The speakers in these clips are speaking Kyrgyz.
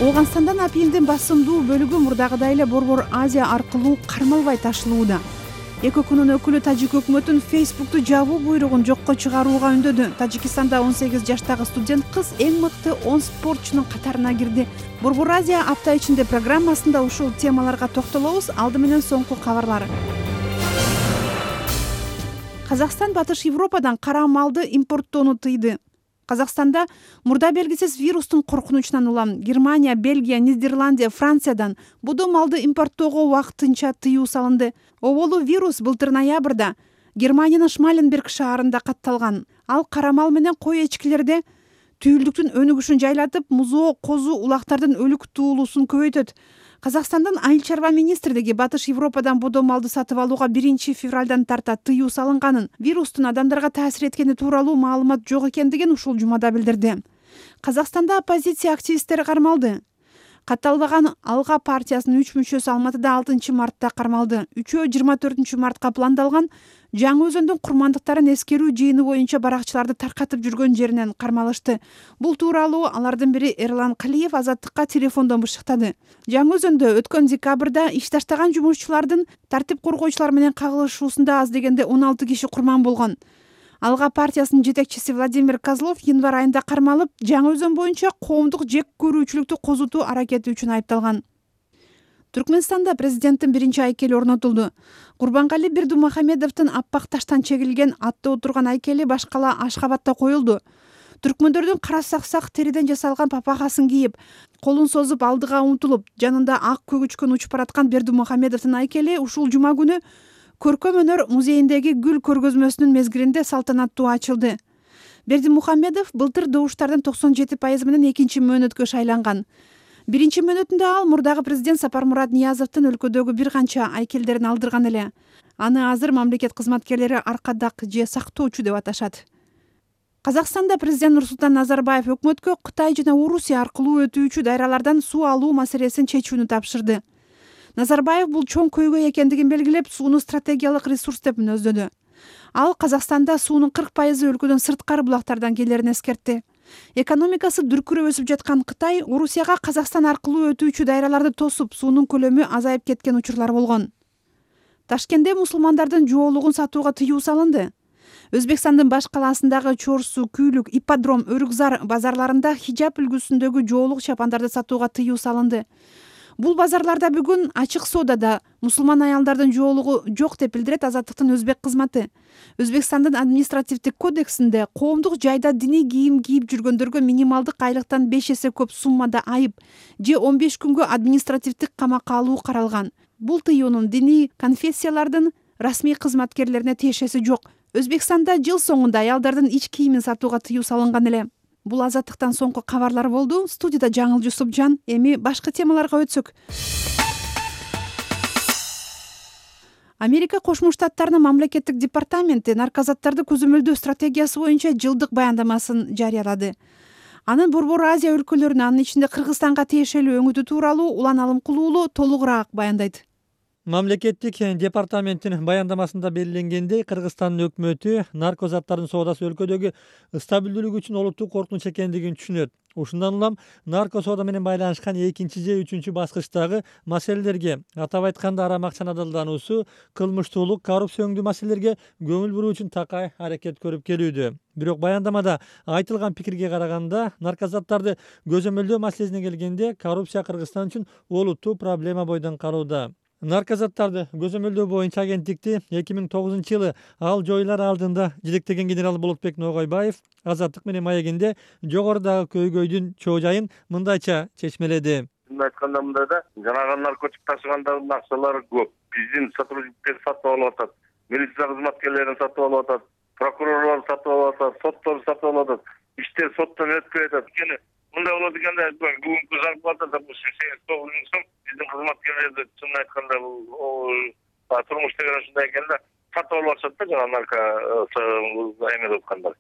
Ооганстандан апийимдин басымдуу бөлүгү мурдагыдай эле Борбор Азия аркылуу кармалбай ташылууда. Эки ОКнун өкүлү тажик өкмөтүн Facebook'ту жабуу буйругун жокко чыгарууга үндөдү. Тажикстанда 18 жаштагы студент кыз эң мыкты 10 спортчунун катарына кирди. Борбор Азия апта ичинде программасында ушул темаларга токтолобуз. Алды менен соңку кабарлар. Казакстан Батыш Европадан кара малды импорттоону тыйды. Казакстанда мурда белгисиз вирустун коркунучунан улам Германия, Бельгия, Нидерландия, Франциядан будо малды импорттоого убактынча тыюу салынды. Оболу вирус былтыр ноябрда Германиянын Шмаленберг шаарында катталган. Ал кара мал менен кой эчкилерде түйүлдүктүн өнүгүшүн жайлатып, музоо, козу, улактардын өлүк туулуусун көбөйтөт. Казакстандын Айыл чарба министрлиги Батыш Европадан будо малды сатып алууга 1-февралдан тарта тыюу салынганын, вирустун адамдарга таасир эткени тууралуу маалымат жок экендигин ушул жумада билдирди. Казакстанда оппозиция активисттери кармалды. Катталбаган Алга партиясынын 3 мүчөсү Алматыда 6-мартта кармалды. Үчөө 24-мартка пландалган Жаңы Өзөндүн курмандыктарын эскерүү жыйыны боюнча баракчыларды таркатып жүргөн жеринен кармалышты. Бул тууралуу алардын бири Эрлан Калиев Азаттыкка телефондон бышыктады. Жаңы Өзөндө өткөн декабрда иш таштаган жумушчулардын тартип коргоочулар менен кагылышуусунда аз дегенде 16 киши курман болгон. Алга партиясынын жетекчиси Владимир Козлов январь айында кармалып, Жаңы Өзөн боюнча коомдук жек көрүүчүлүктү козутуу аракети үчүн айыпталган. Түркмөнстанда президенттин биринчи айкели орнотулду. Курбангали Бердимухамедовдун аппак таштан чегилген атта отурган айкели башкала Ашкабадта коюлду. Түркмөндөрдүн кара саксак териден жасалган папахасын кийип, колун созуп алдыга умтулуп, жанында ак көгүчкөн учуп бараткан Бердимухамедовдун айкели ушул жума күнү Көркөм өнөр музейиндеги гүл көргөзмөсүнүн мезгилинде салтанаттуу ачылды. Бердимухамедов былтыр добуштардын 97% менен экинчи мөөнөткө шайланган. Биринчи мөөнөтүндө ал мурдагы президент Сапармурат Ниязовдун өлкөдөгү бир канча айкелдерин алдырган эле. Аны азыр мамлекет кызматкерлери аркадак же сактоочу деп аташат. Казакстанда президент Нурсултан Назарбаев өкмөткө Кытай жана Орусия аркылуу өтүүчү дайралардан суу алуу маселесин чечүүнү тапшырды. Назарбаев бул чоң көйгөй экендигин белгилеп, сууну стратегиялык ресурс деп мүнөздөдү. Ал Казакстанда суунун 40% өлкөдөн сырткары булактардан келерин эскертти. Экономикасы дүркүрөп өсүп жаткан Кытай Орусияга Казакстан аркылуу өтүүчү дайраларды тосуп, суунун көлөмү азайып кеткен учурлар болгон. Ташкентте мусулмандардын жоолугун сатууга тыюу салынды. Өзбекстандын баш калаасындагы Чорсу, Күйлүк, Ипподром, Өрүкзар базарларында хижаб үлгүсүндөгү жоолук чапандарды сатууга тыюу салынды. Бул базарларда бүгүн ачык соодада мусулман аялдардын жоолугу жок деп билдирет Азаттыктын өзбек кызматы. Өзбекстандын административдик кодексинде коомдук жайда диний кийим кийип жүргөндөргө минималдык айлыктан 5 эсе көп суммада айып же 15 күнгө административдик камакка алуу каралган. Бул тыюунун диний конфессиялардын расмий кызматкерлерине тиешеси жок. Өзбекстанда жыл соңунда аялдардын ич кийимин сатууга тыюу салынган эле. Бул Азаттыктан соңку кабарлар болду. Студияда Жаңыл Жусупжан. Эми башка темаларга өтсөк. Америка Кошмо Штаттарынын мамлекеттик департаменти наркозаттарды көзөмөлдөө стратегиясы боюнча жылдык баяндамасын жарыялады. Анын Борбор Азия өлкөлөрүнө, анын ичинде Кыргызстанга тиешелүү өңүтү тууралуу Улан Алымкулуулу толугураак баяндайт. Мамлекеттик департаменттин баяндамасында белгиленгендей, Кыргызстандын өкмөтү наркозаттардын соодасы өлкөдөгү стабилдүүлүк үчүн олуттуу коркунуч экендигин түшүнөт. Ушундан улам нарко соода менен байланышкан 2 же 3 баскычтагы маселелерге, атап айтканда арам акчанын адалдануусу, кылмыштуулук, коррупция өңдүү маселелерге көңүл буруу үчүн такай аракет көрүп келүүдө. Бирок баяндамада айтылган пикирге караганда, наркозаттарды көзөмөлдөө маселесине келгенде, коррупция Кыргызстан үчүн олуттуу проблема бойдон калууда. Наркозаттарды көзөмөлдөө боюнча агенттикти 2009-жылы ал жоюлар алдында жетектеген генерал Болотбек Ногойбаев Азаттык менен маегинде жогорудагы көйгөйдүн чоо жайын мындайча чечмеледи. Айтканда мындай да, жанагы наркотик ташыгандардын акчалары көп. Биздин сотрудниктер сатып алып атат, милиция кызматкерлерин сатып алып атат, прокурорлор сатып алып атат, соттор сатып алып атат, иштер соттон өтпөй атат. Мындай болот экенде, бүгүнкү зарплата 89 миң сом. Биздин кызматкерлерди чын айтканда турмуш деген ушундай экенде, сатып алып атышат да жана нарко эмелеп аткандар.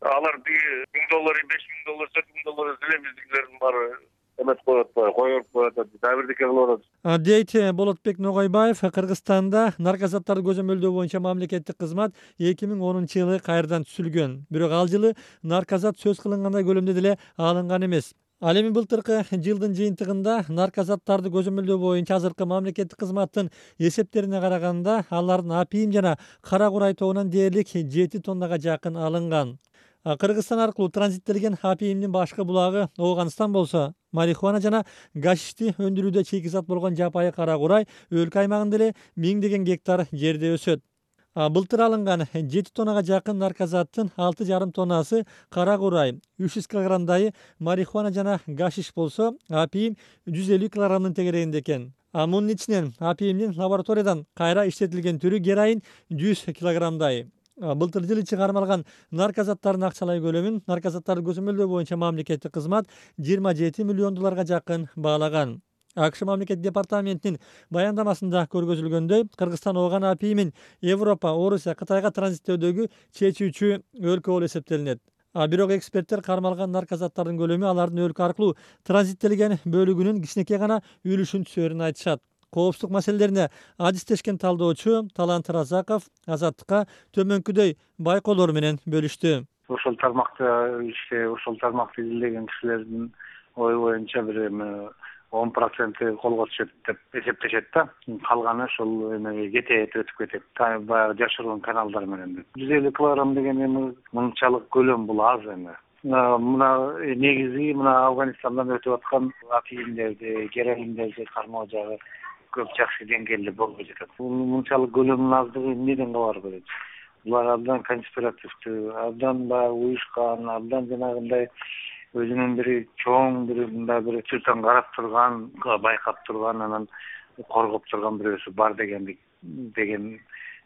Алар $1000, $5000, $4000 эле биздикилердин баары эмет коюп атпайбы, коюп коюп атат, дагы бирдеке кылып атат. Дейт Болотбек Ногойбаев. Кыргызстанда наркозаттарды көзөмөлдөө боюнча мамлекеттик кызмат 2010-жылы кайрадан түзүлгөн. Бирок ал жылы наркозат сөз кылынгандай көлөмдө деле алынган эмес. Ал эми былтыркы жылдын жыйынтыгында наркозаттарды көзөмөлдөө боюнча азыркы мамлекеттик кызматтын эсептерине караганда алардын апийим жана кара курай тобунан дээрлик 7 тоннага жакын алынган. Кыргызстан аркылуу транзиттелген апийимдин башкы булагы Ооганстан болсо, марихуана жана гашишти өндүрүүдө чейкизат болгон жапайы кара курай өлкө аймагында эле миңдеген гектар жерде өсөт. Былтыр алынган 7 тоннага жакын наркозаттын 6,5 тоннасы кара курай, 300 килограммдай марихуана жана гашиш болсо, апийим 150 килограммдын тегерегинде экен. Мунун ичинен апийимдин лабораториядан кайра иштетилген түрү героин 100 килограммдай. Былтыр жыл ичи кармалган наркозаттардын акчалай көлөмүн наркозаттарды көзөмөлдөө боюнча мамлекеттик кызмат 27 миллион долларга жакын баалаган. АКШ мамлекеттик департаментинин баяндамасында көргөзүлгөндөй, Кыргызстан ооган апийимин Европа, Орусия, Кытайга транзиттөөдөгү чечүүчү өлкө болуп эсептелинет. Бирок эксперттер кармалган наркозаттардын көлөмү алардын өлкө аркылуу транзиттелген бөлүгүнүн кичинекей гана үлүшүн түшөрүн айтышат. Коопсуздук маселелерине адистешкен талдоочу Талант Разаков Азаттыкка төмөнкүдөй байкоолор менен бөлүштү. Ошол тармакта изилдеген кишилердин ою боюнча бир 10% колго түшөт деп эсептешет да. Калганы ошол эмеге кетет, өтүп кетет. Баягы жашыруун каналдар менен. 150 килограмм деген эми мынчалык көлөм бул аз эми. Мына негизи Афганистандан өтүп аткан апийимдерди, героиндерди кармоо жагы көп жакшы деңгээлде болбой жатат. Мынчалык көлөмүнүн аздыгы эмнеден кабар берет? Булар абдан конспиративдүү, абдан баягы уюшкан, абдан жанагындай өзүнүн бир чыртан карап турган, байкап турган, анан коргоп турган бирөөсү бар деген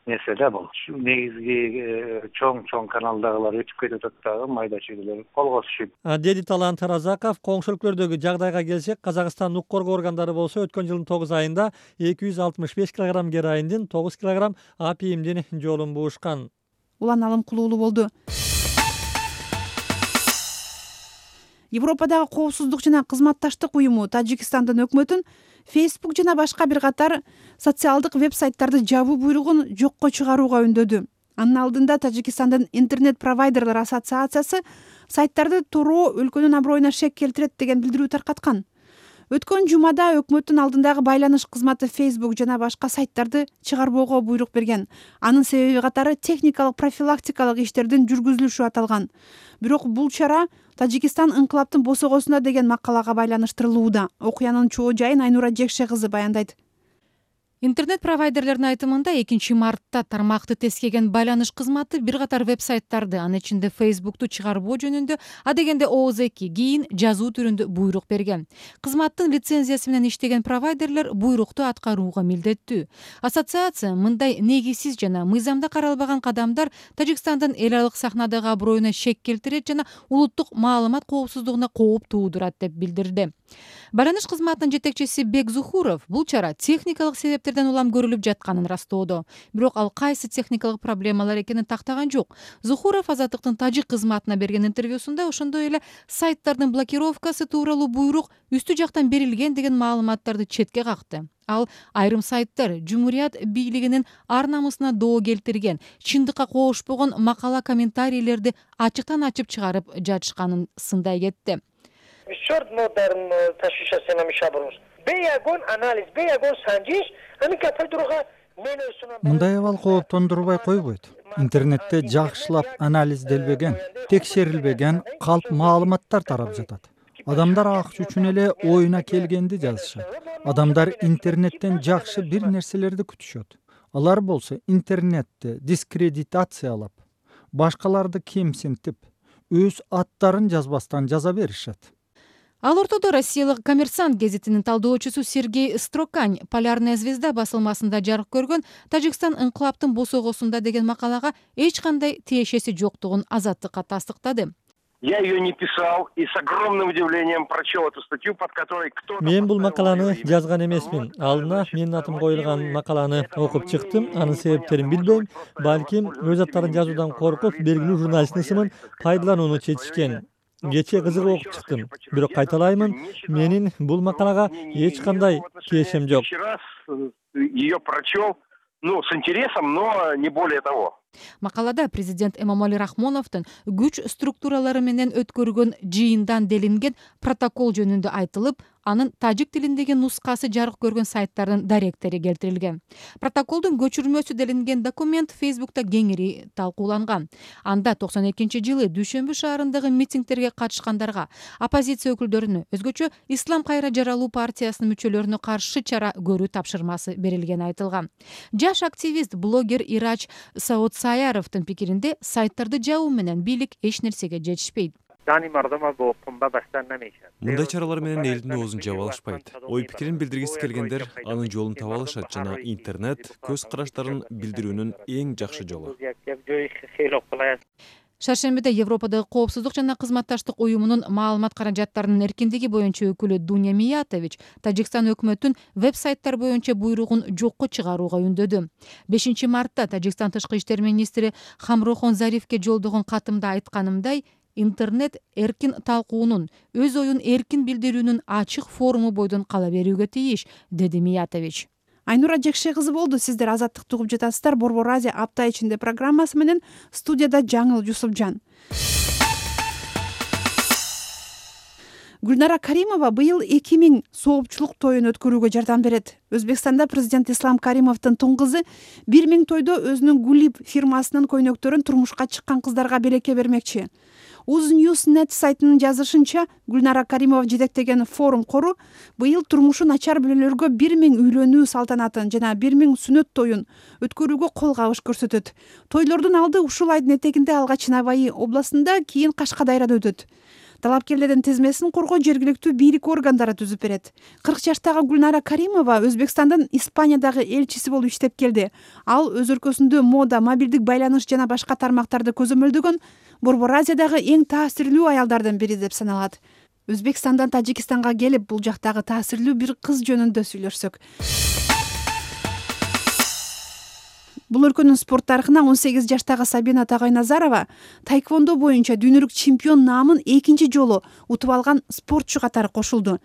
нерсе да бул. Негизги чоң каналдагылар өтүп кетип атат дагы, майда чүйгүлөр колго түшүп. Деди Талант Разаков, коңшу өлкөлөрдөгү жагдайга келсек, Казакстандын укук коргоо органдары болсо өткөн жылдын 9 айында 265 килограмм героиндин, 9 килограмм апийимдин жолун буушкан. Улан Алым Кулуулу болду. Европадагы коопсуздук жана кызматташтык уюму Тажикстандын өкмөтүн Facebook жана башка бир катар социалдык веб-сайттарды жабуу буйругун жокко чыгарууга үндөдү. Анын алдында Тажикстандын интернет-провайдерлер ассоциациясы сайттарды туроо өлкөнүн аброюна шек келтирет деген билдирүү таркаткан. Өткөн жумада өкмөттүн алдындагы байланыш кызматы Facebook жана башка сайттарды чыгарбоого буйрук берген. Анын себеби катары техникалык профилактикалык иштердин жүргүзүлүшү аталган. Бирок бул чара Тажикстан ыңкылаптын босогосуна деген макалага байланыштырылууда. Окуянын чоо жайын Айнура Жекше кызы баяндайт. Интернет-провайдерлердин айтымында 2 мартта тармакты тескеген байланыш кызматы бир катар веб-сайттарды, анын ичинде Facebook'ту чыгарбоо жөнүндө, адегенде ооз2 кийин жазуу түрүндө буйрук берген. Кызматтын лицензиясы менен иштеген провайдерлер буйрукту аткарууга милдеттүү. Ассоциация мындай негизсиз жана мыйзамда каралбаган кадамдар Тажикстандын эл аралык сахнадагы аброюна шек келтирет жана улуттук маалымат коопсуздугуна кооп туудурат деп билдирди. Байланыш кызматынын жетекчиси Бек Зухуров бул чара техникалык себептерден улам көрүлүп жатканын растоодо. Бирок ал кайсы техникалык проблемалар экенин тактаган жок. Зухуров Азаттыктын тажик кызматына берген интервьюсунда ошондой эле сайттардын блокировкасы тууралуу буйрук үстү жактан берилген деген маалыматтарды четке какты. Ал айрым сайттар Жумурият бийлигинин ар намысына доо келтирген, чындыкка коошпогон макала комментарийлерди ачыктан ачып чыгарып жатышканын сындай кетти. Мындай абал кооптондурбай койбойт. Интернетте жакшылап анализделбеген, текшерилбеген калп маалыматтар тарап жатат. Адамдар акча үчүн эле оюна келгенди жазышат. Адамдар интернеттен жакшы бир нерселерди күтүшөт. Алар болсо интернетти дискредитациялап, башкаларды кемсинтип, өз аттарын жазбастан жаза беришет. Ал ортодо Россиялык Коммерсант гезитинин талдоочусу Сергей Строкань Полярная звезда басылмасында жарык көргөн Тажикстан ыңкылаптын босогосунда деген макалага эч кандай тиешеси жоктугун Азаттыкка тастыктады. Я ее не писал и с огромным удивлением прочел эту статью, под которой кто-то... Мен бул макаланы жазган эмесмин. Алдына менин атым коюлган макаланы окуп чыктым. Анын себептерин билбейм. Балким өз аттарын жазуудан коркуп, белгилүү журналисттин исмин пайдаланууну чечишкен. Кече кызыгып окуп чыктым. Бирок кайталаймын, менин бул макалага эч кандай тиешем жок. Ее прочел, с интересом, но не более того. Макалада президент Эмомали Рахмоновдун күч структуралары менен өткөргөн жыйындан делинген протокол жөнүндө айтылып, анын тажик тилиндеги нускасы жарык көргөн сайттардын даректери келтирилген. Протоколдун көчүрмөсү делинген документ Facebook'та кеңири талкууланган. Анда 92-жылы Дүйшөмбү шаарындагы митингтерге катышкандарга, оппозиция өкүлдөрүнө, өзгөчө Ислам кайра жаралуу партиясынын мүчөлөрүнө каршы чара көрүү тапшырмасы берилгени айтылган. Жаш активист, блогер Ирач Саудсаяровдун пикиринде, сайттарды жабуу менен бийлик эч нерсеге жетишпейт. Мындай чаралар менен элдин оозун жаба алышпайт. Ой пикирин билдиргиси келгендер анын жолун таба алышат жана интернет көз караштарын билдирүүнүн эң жакшы жолу. Шаршембиде Европадагы коопсуздук жана кызматташтык уюмунун маалымат каражаттарынын эркиндиги боюнча өкүлү Дуня Миятович Тажикстан өкмөтүн веб-сайттар боюнча буйругун жокко чыгарууга үндөдү. 5 мартта Тажикстан тышкы иштер министри Хамрохон Заривке жолдогон катымда айтканымдай, интернет эркин талкуунун, өз оюн эркин билдирүүнүн ачык форуму бойдон кала берүүгө тийиш, деди Миятович. Айнура Жекше кызы болду. Сиздер Азаттыкты угуп жатасыздар. Борбор Азия апта ичинде программасы менен студияда Жаңыл Жусупжан. Гүлнара Каримова быйыл 2000 соопчулук тоюн өткөрүүгө жардам берет. Өзбекстанда президент Ислам Каримовдун тун кызы 1000 тойдо өзүнүн Гулиб фирмасынын көйнөктөрүн турмушка чыккан кыздарга белекке бермекчи. Uznewsnet сайтынын жазышынча, Гүлнара Каримова жетектеген форум кору быйыл турмушу начар бүлөлөргө 1000 үйлөнүү салтанатын жана 1000 сүнөт тоюн өткөрүүгө кол кабыш көрсөтөт. Тойлордун алды ушул айдын этегинде алгач Наваи областында, кийин Кашкадайрада өтөт. Талапкерлердин тизмесин коргоо жергиликтүү бийлик органдары түзүп берет. 40 жаштагы Гүлнара Каримова Өзбекстандын Испаниядагы элчиси болуп иштеп келди. Ал өз өлкөсүндө мода, мобилдик байланыш жана башка тармактарды көзөмөлдөгөн Борбор Азиядагы эң таасирлүү аялдардын бири деп саналат. Өзбекстандан Тажикстанга келип, бул жактагы таасирлүү бир кыз жөнүндө сүйлөшсөк. Бул өлкөнүн спорт тарыхына 18 жаштагы Сабина Тагайназарова тайквондо боюнча дүйнөлүк чемпион наамын 2 жолу утуп алган спортчу катары кошулду.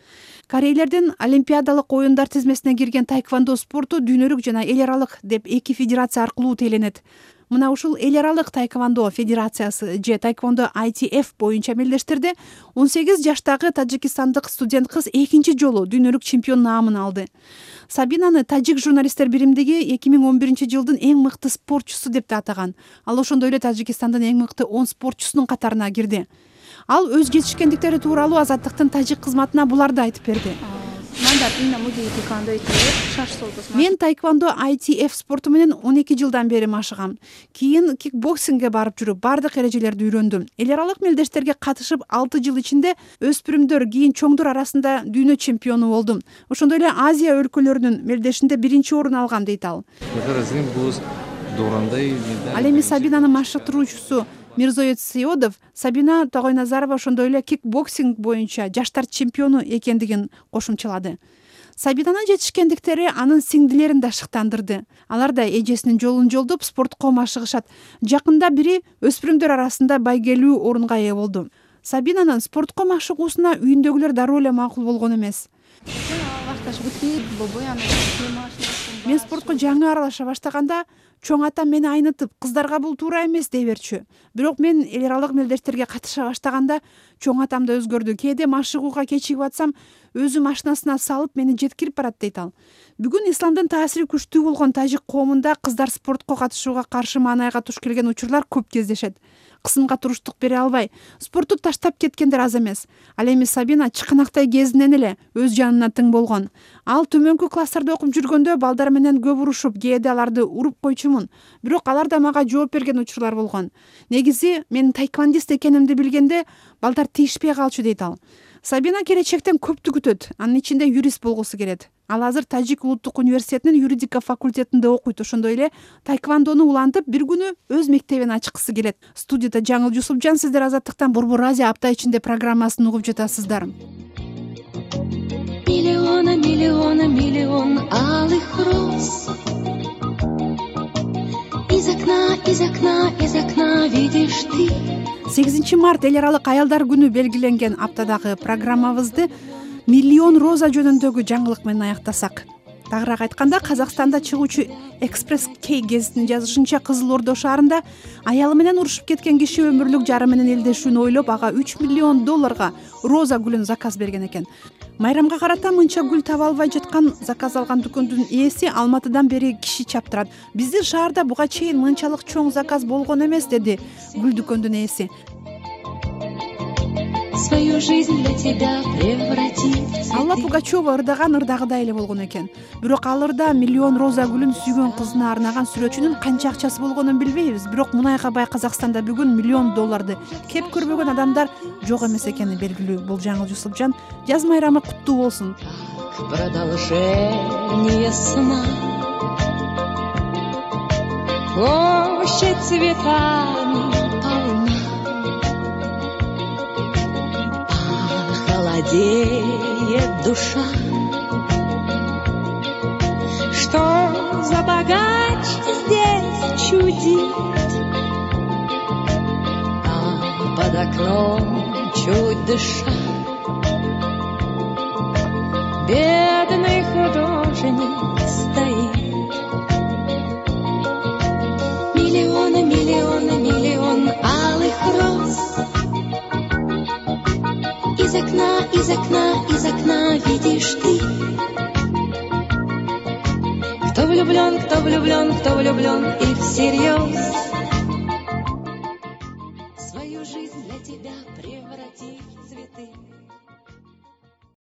Корейлердин Олимпиадалык оюндар тизмесине кирген тайквондо спорту дүйнөлүк жана эл аралык деп 2 федерация аркылуу теленет. Мына ушул эл аралык тайквондо федерациясы же тайквондо ITF боюнча мелдештерде 18 жаштагы тажикстандык студент кыз 2 жолу дүйнөлүк чемпион наамын алды. Сабинаны тажик журналисттер биримдиги 2011-жылдын эң мыкты спортчусу деп атаган. Ал ошондой эле Тажикстандын эң мыкты 10 спортчусунун катарына кирди. Ал өз жетишкендиктери тууралуу Азаттыктын тажик кызматына буларды айтып берди. Мен тайквондо ITF спорту менен 12 жылдан бери машыгам. Кийин кикбоксингге барып жүрүп, бардык эрежелерди үйрөндүм. Эл аралык мелдештерге катышып 6 жыл ичинде өспүрүмдөр, кийин чоңдор арасында дүйнө чемпиону болдум. Ошондой эле Азия өлкөлөрүнүн мелдешинде 1 орун алгам дейт ал. Ал эми Сабинанын машыктыруучусу Мирзоет Сиодов Сабина Тагайназарова ошондой эле кикбоксинг боюнча жаштар чемпиону экендигин кошумчалады. Сабинанын жетишкендиктери анын сиңдилерин да шыктандырды. Алар да эжесинин жолун жолдоп спортко машыгышат. Жакында бири өспүрүмдөр арасында байгелүү орунга ээ болду. Сабинанын спортко машыгуусуна үйүндөгүлөр дароо эле макул болгон эмес. Мен спортко жаңы аралаша баштаганда чоң атам мени айнытып, кыздарга бул туура эмес дей берчү. Бирок мен эл аралык мелдештерге катыша баштаганда чоң атам да өзгөрдү. Кээде машыгууга кечигип атсам, өзү машинасына салып мени жеткирип барат дейт ал. Бүгүн исламдын таасири күчтүү болгон тажик коомунда кыздар спортко катышууга каршы маанайга туш келген учурлар көп кездешет. Кысымга туруштук бере албай, спортту таштап кеткендер аз эмес. Ал эми Сабина чыканактай кезинен эле өз жанына тың болгон. Ал төмөнкү класстарда окуп жүргөндө балдар менен көп урушуп, кээде аларды уруп койчумун. Бирок алар да мага жооп берген учурлар болгон. Негизи мен тайквондист экенимди билгенде балдар тийишпей калчу дейт ал. Сабина келечектен көптү күтөт. Анын ичинде юрист болгусу келет. Ал азыр Тажик улуттук университетинин юридика факультетинде окуйт. Ошондой эле тайквондону улантып, бир күнү өз мектебин ачкысы келет. Студияда Жаңыл Жусупжан, сиздер Азаттыктан Борбор Азия апта ичинде программасын угуп жатасыздар. Миллион алых роз. Из окна видишь ты. 8 март эл аралык аялдар күнү белгиленген аптадагы программабызды миллион роза жөнүндөгү жаңылык менен аяктасак. Тагыраак айтканда, Казакстанда чыгуучу Экспресс Кей гезитинин жазышынча, Кызыл Ордо шаарында аялы менен урушуп кеткен киши өмүрлүк жары менен элдешүүнү ойлоп, ага $3 миллион роза гүлүн заказ берген экен. Майрамга карата мынча гүл таба албай жаткан заказ алган дүкөндүн ээси Алматыдан бери киши чаптырат. Биздин шаарда буга чейин мынчалык чоң заказ болгон эмес, деди гүл дүкөндүн ээси. Свою жизнь для тебя превратить. Алла Пугачева ырдаган ырдагыдай эле болгон экен. Бирок ал ырда миллион роза гүлүн сүйгөн кызына арнаган сүрөтчүнүн канча акчасы болгонун билбейбиз. Бирок мунайга бай Казакстанда бүгүн $1 миллион кеп көрбөгөн адамдар жок эмес экени белгилүү. Бул жаңыл Жусупжан. Жаз майрамы куттуу болсун. Продолжение сна. Площадь цветами полна. Холодеет душа. Что за богач здесь чудит? А под окном чуть дыша бедный художник стоит. Миллионы, миллионы, миллион алых роз. Из окна, из окна, из окна видишь ты. Кто влюблен, кто влюблен, кто влюблен и всерьез. Свою жизнь для тебя превратить в цветы.